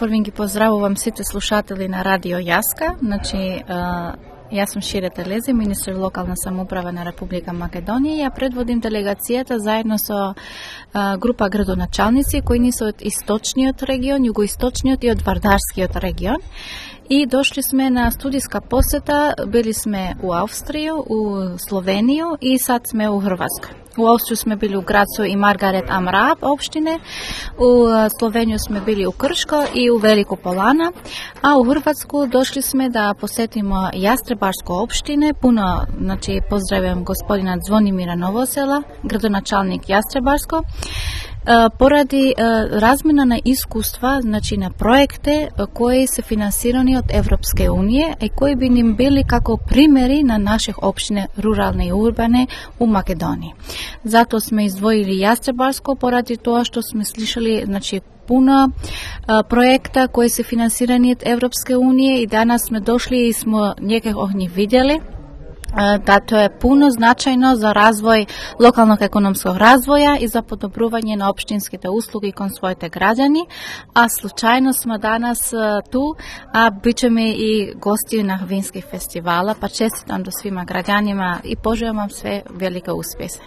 првин ги поздравувам сите слушатели на Радио Јаска. Значи, јас сум Шире Телези, министер локална самоуправа на Република Македонија. Ја предводим делегацијата заедно со група градоначалници кои ни се од источниот регион, југоисточниот и од Вардарскиот регион. И дошли сме на студиска посета, били сме у Австрија, у Словенију и сад сме у Хрватска. У Австрија сме били у Грацо и Маргарет Амрааб општине, у Словенију сме били у Кршко и у Велико Полана, а у Хрватску дошли сме да посетимо Јастребарско општине. Пуно, значи, поздравувам господина Звонимира Новосела, градоначалник Јастребарско, поради размена на искуства, значи на проекти кои се финансирани од Европска унија и кои би ним били како примери на наших општини рурални и урбани у Македонија. Затоа сме издвоили Јастребарско поради тоа што сме слушали, значи, пуно проекта кои се финансирани од Европска унија и данас сме дошли и сме некако ги видели да тоа е пуно значајно за развој, локалnog економскog развоја и за подобрување на општинските услуги кон своите граѓани, а случајно сме данас ту, а бичеме и гости на вински фестивала, па честитам до свима граѓанима и пожелам вам све велика успеси.